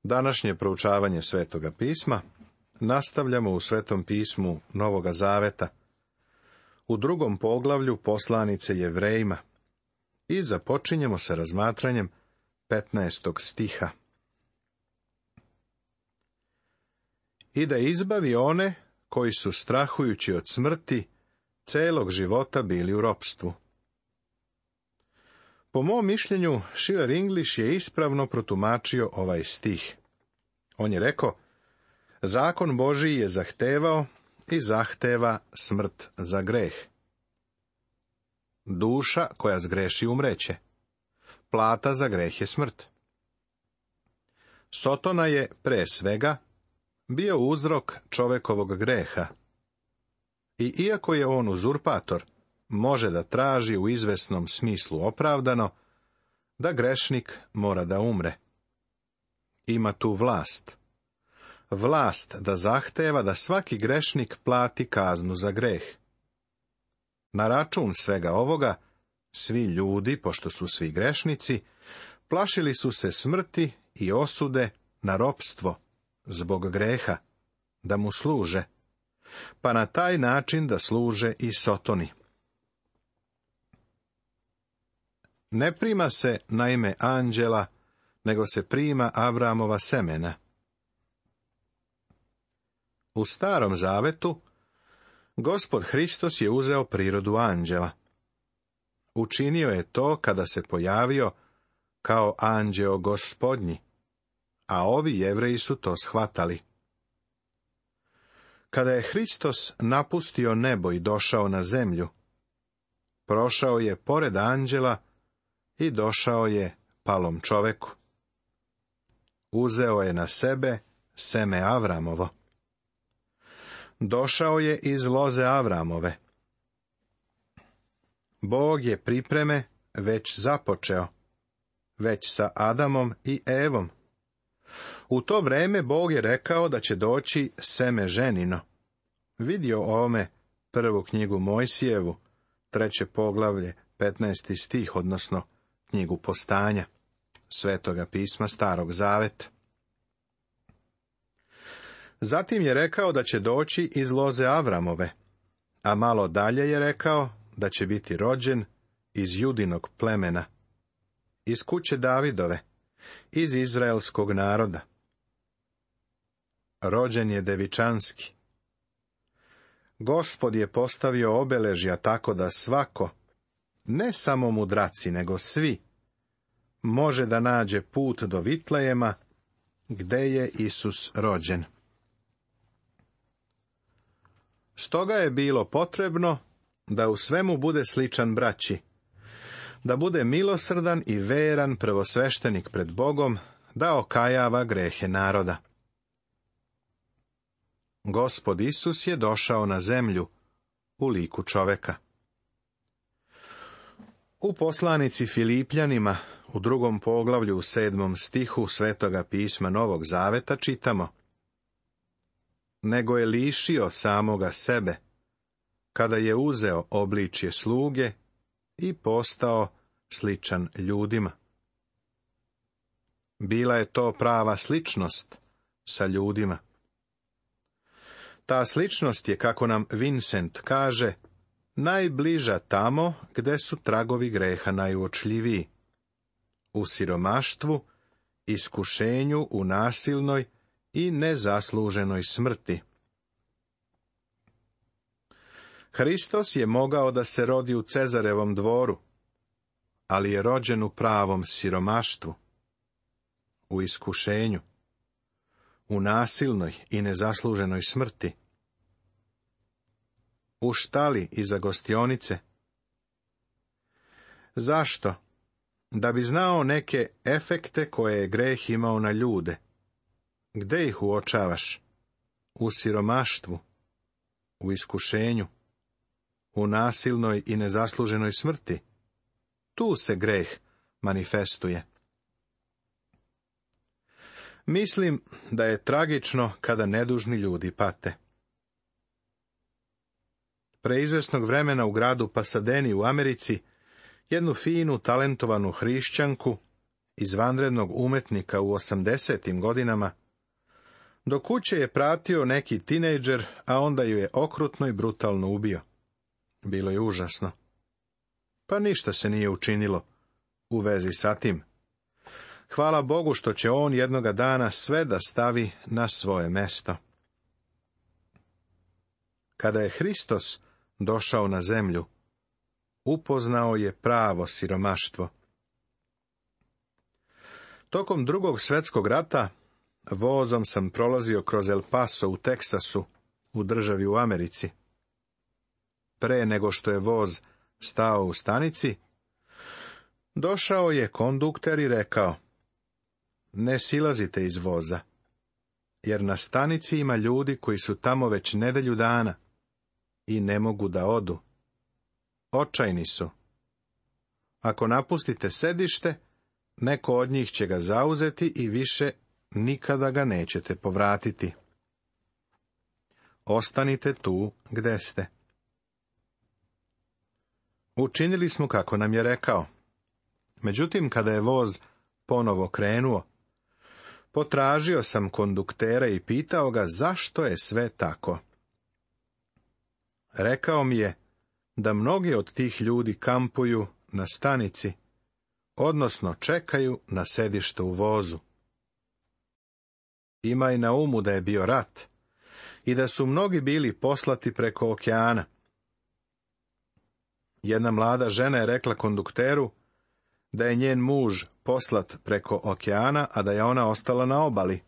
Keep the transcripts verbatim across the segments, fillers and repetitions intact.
Današnje proučavanje Svetoga pisma nastavljamo u Svetom pismu Novoga Zaveta, u drugom poglavlju poslanice Jevrejima, i započinjemo sa razmatranjem petnaestog stiha. I da izbavi one koji su, strahujući od smrti, celog života bili u ropstvu. Po mom mišljenju, Schiller English je ispravno protumačio ovaj stih. On je rekao, zakon Božiji je zahtevao i zahteva smrt za greh. Duša koja zgreši umreće. Plata za greh je smrt. Sotona je, pre svega, bio uzrok čovekovog greha. I iako je on uzurpator, može da traži u izvesnom smislu opravdano da grešnik mora da umre. Ima tu vlast. Vlast da zahteva da svaki grešnik plati kaznu za greh. Na račun svega ovoga, svi ljudi, pošto su svi grešnici, plašili su se smrti i osude na ropstvo zbog greha, da mu služe, pa na taj način da služe i Sotoni. Ne prima se na ime anđela, nego se prima Avramova semena. U Starom Zavetu Gospod Hristos je uzeo prirodu anđela. Učinio je to kada se pojavio kao anđeo Gospodnji, a ovi Jevreji su to shvatali. Kada je Hristos napustio nebo i došao na zemlju, prošao je pored anđela i došao je palom čoveku. Uzeo je na sebe seme Avramovo. Došao je iz loze Avramove. Bog je pripreme već započeo, već sa Adamom i Evom. U to vreme Bog je rekao da će doći seme ženino. Vidio ovome prvu knjigu Mojsijevu, treće poglavlje, petnaesti stih, odnosno knjigu Postanja, Svetoga pisma Starog Zaveta. Zatim je rekao da će doći iz loze Avramove, a malo dalje je rekao da će biti rođen iz Judinog plemena, iz kuće Davidove, iz izraelskog naroda. Rođen je devičanski. Gospod je postavio obeležja tako da svako, ne samo mudraci, nego svi, može da nađe put do Vitlejema, gde je Isus rođen. Stoga je bilo potrebno da u svemu bude sličan braći, da bude milosrdan i veran prvosveštenik pred Bogom, da okajava grehe naroda. Gospod Isus je došao na zemlju u liku čoveka. U poslanici Filipljanima, u drugom poglavlju u sedmom stihu Svetoga pisma Novog Zaveta čitamo: nego je lišio samoga sebe, kada je uzeo obličje sluge i postao sličan ljudima. Bila je to prava sličnost sa ljudima. Ta sličnost je, kako nam Vincent kaže, najbliža tamo gde su tragovi greha najuočljiviji. U siromaštvu, iskušenju, u nasilnoj i nezasluženoj smrti. Hristos je mogao da se rodi u Cezarevom dvoru, ali je rođen u pravom siromaštvu, u iskušenju, u nasilnoj i nezasluženoj smrti, u štali iza gostionice. Zašto? Da bi znao neke efekte koje je greh imao na ljude. Gde ih uočavaš? U siromaštvu, u iskušenju, u nasilnoj i nezasluženoj smrti. Tu se greh manifestuje. Mislim da je tragično kada nedužni ljudi pate. Pre izvesnog vremena u gradu Pasadeni u Americi, jednu finu, talentovanu hrišćanku izvanrednog umetnika u osamdesetim godinama, do kuće je pratio neki tinejdžer, a onda ju je okrutno i brutalno ubio. Bilo je užasno. Pa ništa se nije učinilo u vezi sa tim. Hvala Bogu što će on jednoga dana sve da stavi na svoje mesto. Kada je Hristos došao na zemlju, upoznao je pravo siromaštvo. Tokom drugog svjetskog rata vozom sam prolazio kroz El Paso u Teksasu, u državi u Americi. Pre nego što je voz stao u stanici, došao je kondukter i rekao: ne silazite iz voza, jer na stanici ima ljudi koji su tamo već nedelju dana i ne mogu da odu. Očajni su. Ako napustite sedište, neko od njih će ga zauzeti i više nikada ga nećete povratiti. Ostanite tu gde ste. Učinili smo kako nam je rekao. Međutim, kada je voz ponovo krenuo, potražio sam konduktera i pitao ga zašto je sve tako. Rekao mi je da mnogi od tih ljudi kampuju na stanici, odnosno čekaju na sedište u vozu. Imaj na umu da je bio rat i da su mnogi bili poslati preko okeana. Jedna mlada žena je rekla kondukteru da je njen muž poslat preko okeana, a da je ona ostala na obali.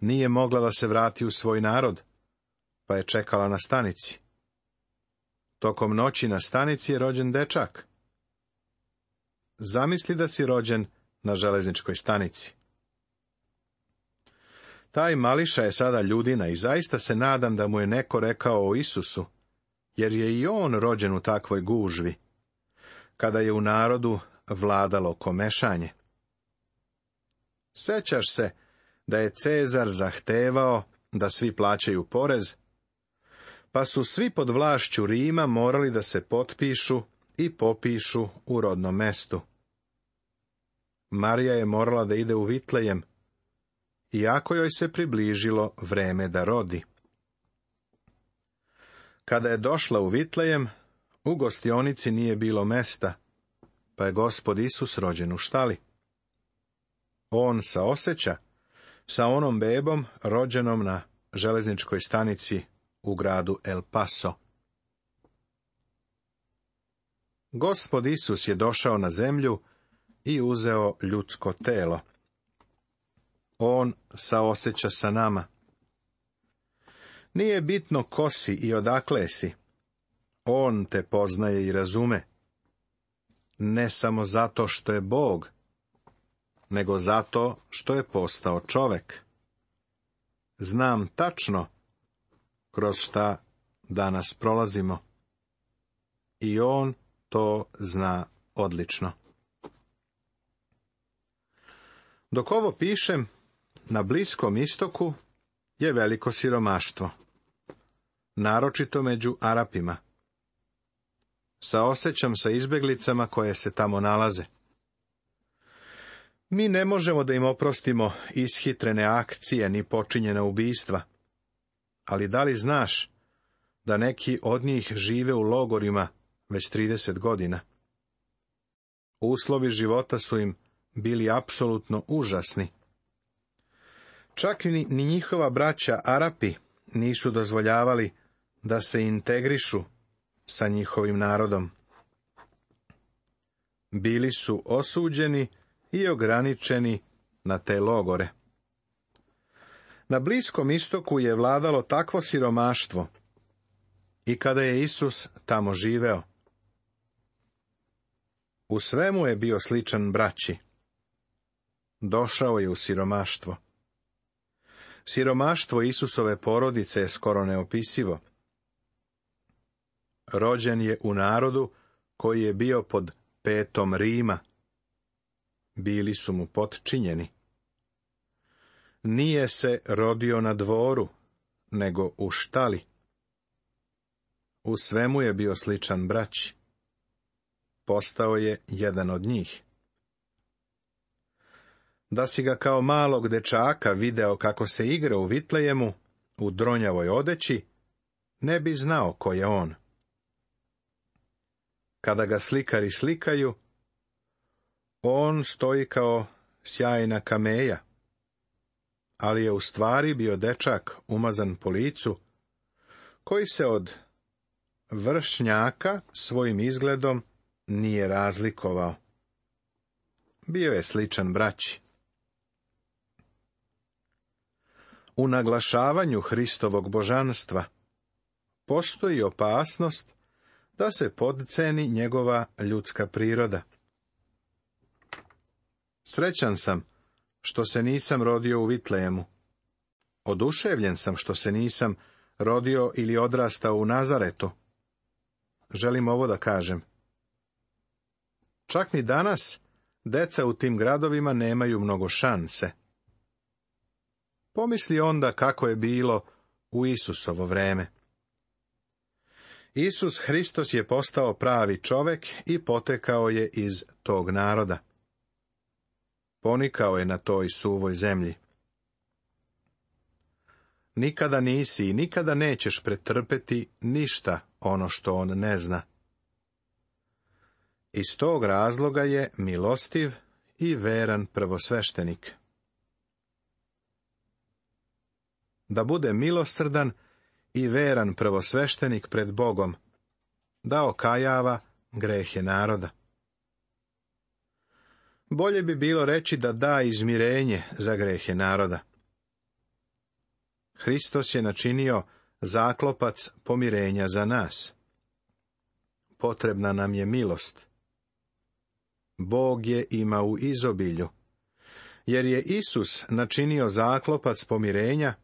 Nije mogla da se vrati u svoj narod, pa je čekala na stanici. Tokom noći na stanici je rođen dečak. Zamisli da si rođen na železničkoj stanici. Taj mališa je sada ljudina i zaista se nadam da mu je neko rekao o Isusu, jer je i on rođen u takvoj gužvi, kada je u narodu vladalo komešanje. Sećaš se da je Cezar zahtevao da svi plaćaju porez, pa su svi pod vlašću Rima morali da se potpišu i popišu u rodnom mestu. Marija je morala da ide u Vitlejem, iako joj se približilo vreme da rodi. Kada je došla u Vitlejem, u gostionici nije bilo mesta, pa je Gospod Isus rođen u štali. On saoseća sa onom bebom rođenom na železničkoj stanici u gradu El Paso. Gospod Isus je došao na zemlju i uzeo ljudsko telo. On saoseća sa nama. Nije bitno ko si i odakle si. On te poznaje i razume. Ne samo zato što je Bog, nego zato što je postao čovek. Znam tačno kroz šta danas prolazimo. I on to zna odlično. Dok ovo pišem, na Bliskom istoku je veliko siromaštvo, naročito među Arapima. Saosećam sa izbeglicama koje se tamo nalaze. Mi ne možemo da im oprostimo ishitrene akcije ni počinjena ubistva, ali da li znaš da neki od njih žive u logorima već trideset godina? Uslovi života su im bili apsolutno užasni. Čak ni, ni njihova braća Arapi nisu dozvoljavali da se integrišu sa njihovim narodom. Bili su osuđeni i ograničeni na te logore. Na Bliskom istoku je vladalo takvo siromaštvo i kada je Isus tamo živeo. U svemu je bio sličan braći. Došao je u siromaštvo. Siromaštvo Isusove porodice je skoro neopisivo. Rođen je u narodu koji je bio pod petom Rima. Bili su mu potčinjeni. Nije se rodio na dvoru, nego u štali. U svemu je bio sličan braći. Postao je jedan od njih. Da si ga kao malog dečaka video kako se igra u Vitlejemu, u dronjavoj odeći, ne bi znao ko je on. Kada ga slikari slikaju, on stoji kao sjajna kameja, ali je u stvari bio dečak umazan po licu, koji se od vršnjaka svojim izgledom nije razlikovao. Bio je sličan braći. U naglašavanju Hristovog božanstva postoji opasnost da se podceni njegova ljudska priroda. Srećan sam što se nisam rodio u Vitlejemu. Oduševljen sam što se nisam rodio ili odrastao u Nazaretu. Želim ovo da kažem. Čak ni danas deca u tim gradovima nemaju mnogo šanse. Pomisli onda kako je bilo u Isusovo vreme. Isus Hristos je postao pravi čovek i potekao je iz tog naroda. Ponikao je na toj suvoj zemlji. Nikada nisi i nikada nećeš pretrpeti ništa ono što on ne zna. Iz tog razloga je milostiv i veran prvosveštenik. Da bude milosrdan i veran prvosveštenik pred Bogom, da okajava grehe naroda. Bolje bi bilo reći da da izmirenje za grehe naroda. Hristos je načinio zaklopac pomirenja za nas. Potrebna nam je milost. Bog je ima u izobilju, jer je Isus načinio zaklopac pomirenja,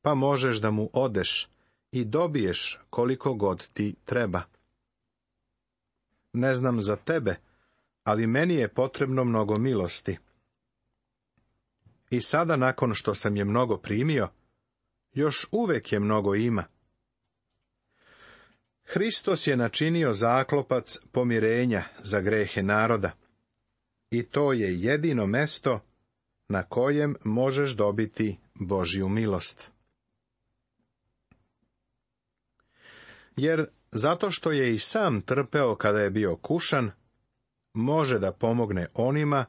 pa možeš da mu odeš i dobiješ koliko god ti treba. Ne znam za tebe, ali meni je potrebno mnogo milosti. I sada, nakon što sam je mnogo primio, još uvek je mnogo ima. Hristos je načinio zaklopac pomirenja za grehe naroda, i to je jedino mesto na kojem možeš dobiti Božju milost. Jer zato što je i sam trpeo kada je bio kušan, može da pomogne onima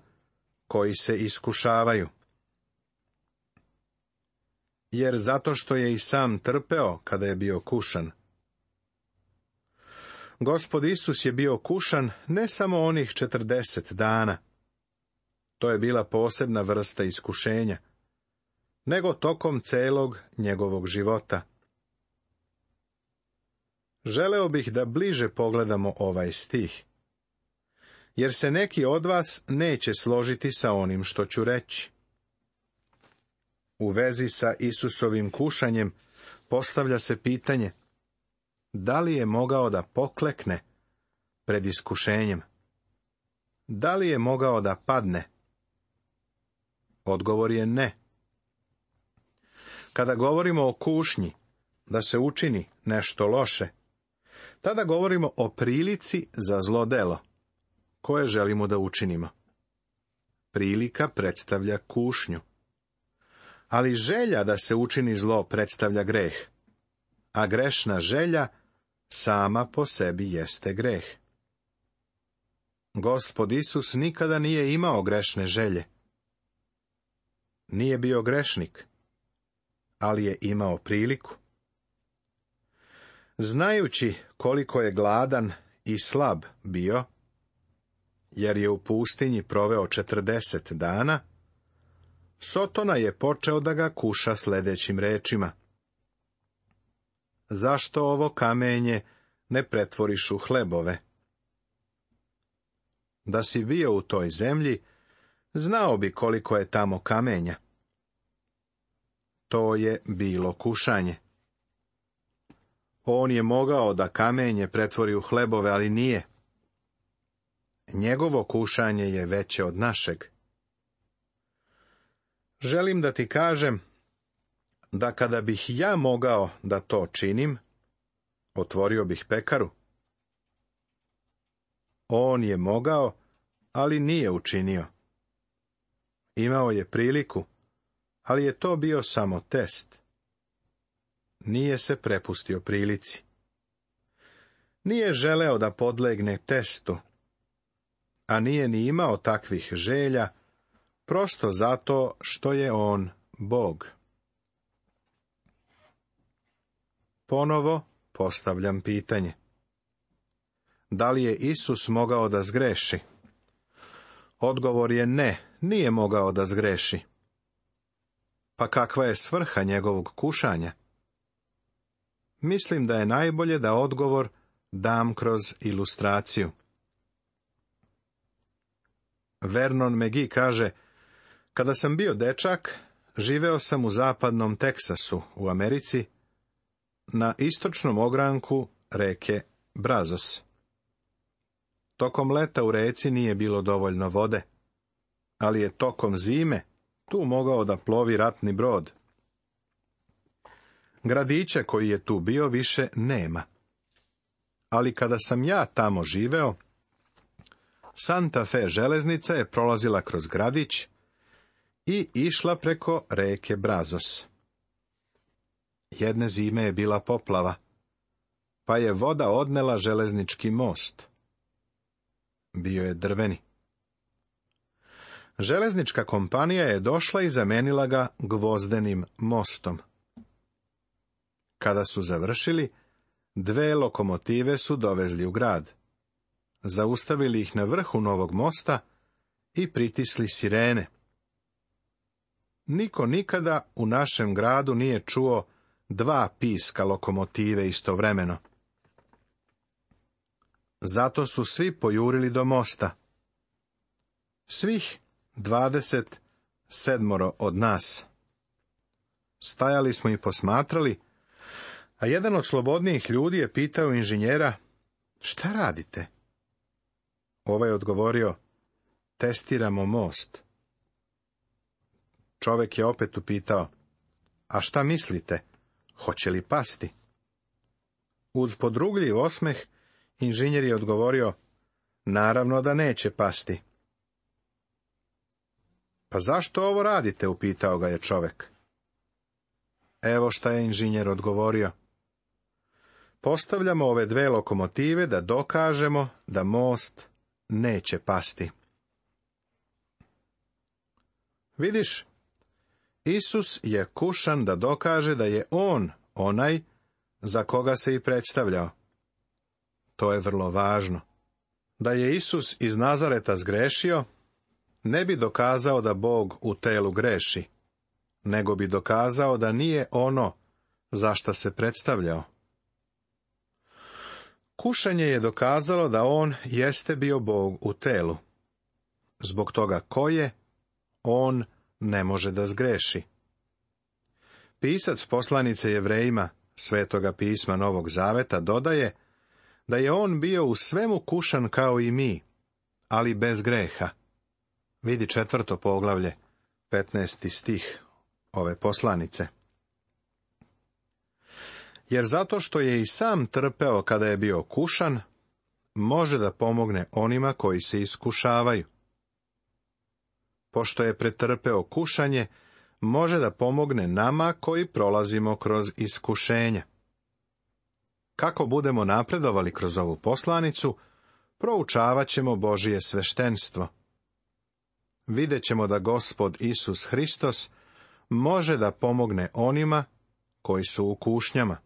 koji se iskušavaju. Jer zato što je i sam trpeo kada je bio kušan. Gospod Isus je bio kušan ne samo onih četrdeset dana. To je bila posebna vrsta iskušenja, nego tokom celog njegovog života. Želeo bih da bliže pogledamo ovaj stih, jer se neki od vas neće složiti sa onim što ću reći. U vezi sa Isusovim kušanjem postavlja se pitanje, da li je mogao da poklekne pred iskušenjem? Da li je mogao da padne? Odgovor je ne. Kada govorimo o kušnji, da se učini nešto loše, tada govorimo o prilici za zlo delo, koje želimo da učinimo. Prilika predstavlja kušnju. Ali želja da se učini zlo predstavlja greh, a grešna želja sama po sebi jeste greh. Gospod Isus nikada nije imao grešne želje. Nije bio grešnik, ali je imao priliku. Znajući koliko je gladan i slab bio, jer je u pustinji proveo četrdeset dana, Sotona je počeo da ga kuša sledećim rečima. Zašto ovo kamenje ne pretvoriš u hlebove? Da si bio u toj zemlji, znao bi koliko je tamo kamenja. To je bilo kušanje. On je mogao da kamenje pretvori u hlebove, ali nije. Njegovo kušanje je veće od našeg. Želim da ti kažem da kada bih ja mogao da to činim, otvorio bih pekaru. On je mogao, ali nije učinio. Imao je priliku, ali je to bio samo test. Nije se prepustio prilici. Nije želeo da podlegne testu, a nije ni imao takvih želja, prosto zato što je on Bog. Ponovo postavljam pitanje. Da li je Isus mogao da zgreši? Odgovor je ne, nije mogao da zgreši. Pa kakva je svrha njegovog kušanja? Mislim da je najbolje da odgovor dam kroz ilustraciju. Vernon McGee kaže, kada sam bio dečak, živeo sam u zapadnom Teksasu, u Americi, na istočnom ogranku reke Brazos. Tokom leta u reci nije bilo dovoljno vode, ali je tokom zime tu mogao da plovi ratni brod. Gradića koji je tu bio više nema. Ali kada sam ja tamo živeo, Santa Fe železnica je prolazila kroz gradić i išla preko reke Brazos. Jedne zime je bila poplava, pa je voda odnela železnički most. Bio je drveni. Železnička kompanija je došla i zamenila ga gvozdenim mostom. Kada su završili, dve lokomotive su dovezli u grad. Zaustavili ih na vrhu novog mosta i pritisli sirene. Niko nikada u našem gradu nije čuo dva piska lokomotive istovremeno. Zato su svi pojurili do mosta. Svih dvadeset sedmoro od nas. Stajali smo i posmatrali, a jedan od slobodnijih ljudi je pitao inženjera, šta radite? Ovaj je odgovorio, testiramo most. Čovjek je opet upitao, a šta mislite, hoće li pasti? Uz podrugljiv osmeh, inženjer je odgovorio, naravno da neće pasti. Pa zašto ovo radite, upitao ga je čovjek. Evo šta je inženjer odgovorio. Postavljamo ove dve lokomotive da dokažemo da most neće pasti. Vidiš, Isus je kušan da dokaže da je on onaj za koga se i predstavljao. To je vrlo važno. Da je Isus iz Nazareta zgrešio, ne bi dokazao da Bog u telu greši, nego bi dokazao da nije ono za šta se predstavljao. Kušanje je dokazalo da on jeste bio Bog u telu. Zbog toga ko je, on ne može da zgreši. Pisac poslanice Jevrejima, Svetoga pisma Novog Zaveta, dodaje da je on bio u svemu kušan kao i mi, ali bez greha. Vidi četvrto poglavlje, petnaesti stih ove poslanice. Jer zato što je i sam trpeo kada je bio kušan, može da pomogne onima koji se iskušavaju. Pošto je pretrpeo kušanje, može da pomogne nama koji prolazimo kroz iskušenja. Kako budemo napredovali kroz ovu poslanicu, proučavat ćemo Božije sveštenstvo. Vidjet ćemo da Gospod Isus Hristos može da pomogne onima koji su u kušnjama.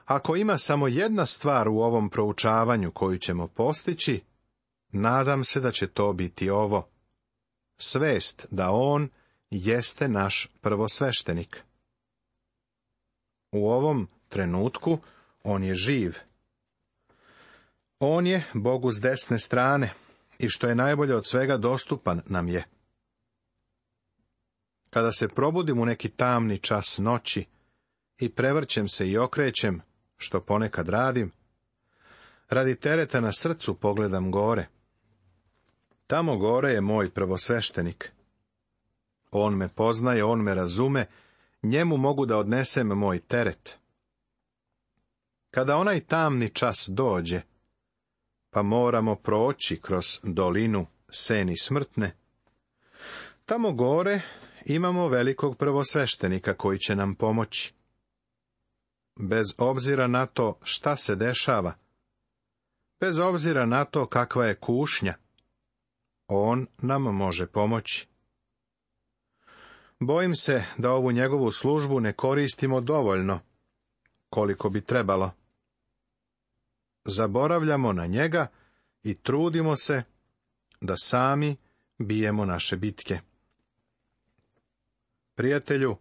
Ako ima samo jedna stvar u ovom proučavanju koju ćemo postići, nadam se da će to biti ovo. Svest da on jeste naš prvosveštenik. U ovom trenutku on je živ. On je Bogu s desne strane i što je najbolje od svega dostupan nam je. Kada se probudim u neki tamni čas noći i prevrćem se i okrećem, što ponekad radim, radi tereta na srcu pogledam gore. Tamo gore je moj prvosveštenik. On me poznaje, on me razume, njemu mogu da odnesem moj teret. Kada onaj tamni čas dođe, pa moramo proći kroz dolinu seni smrtne, Tamo gore imamo velikog prvosveštenika koji će nam pomoći. Bez obzira na to šta se dešava, bez obzira na to kakva je kušnja, on nam može pomoći. Bojim se da ovu njegovu službu ne koristimo dovoljno, koliko bi trebalo. Zaboravljamo na njega i trudimo se da sami bijemo naše bitke. Prijatelju,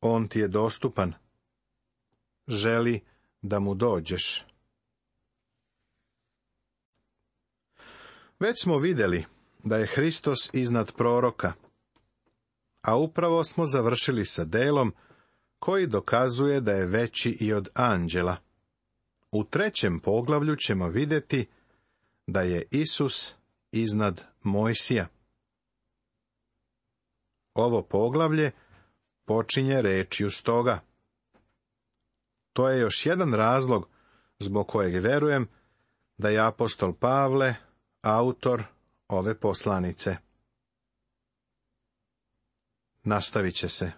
on ti je dostupan. Želi da mu dođeš. Već smo vidjeli da je Hristos iznad proroka, a upravo smo završili sa delom koji dokazuje da je veći i od anđela. U trećem poglavlju ćemo vidjeti da je Isus iznad Mojsija. Ovo poglavlje počinje rečju stoga. To je još jedan razlog zbog kojeg verujem da je apostol Pavle autor ove poslanice. Nastavit će se.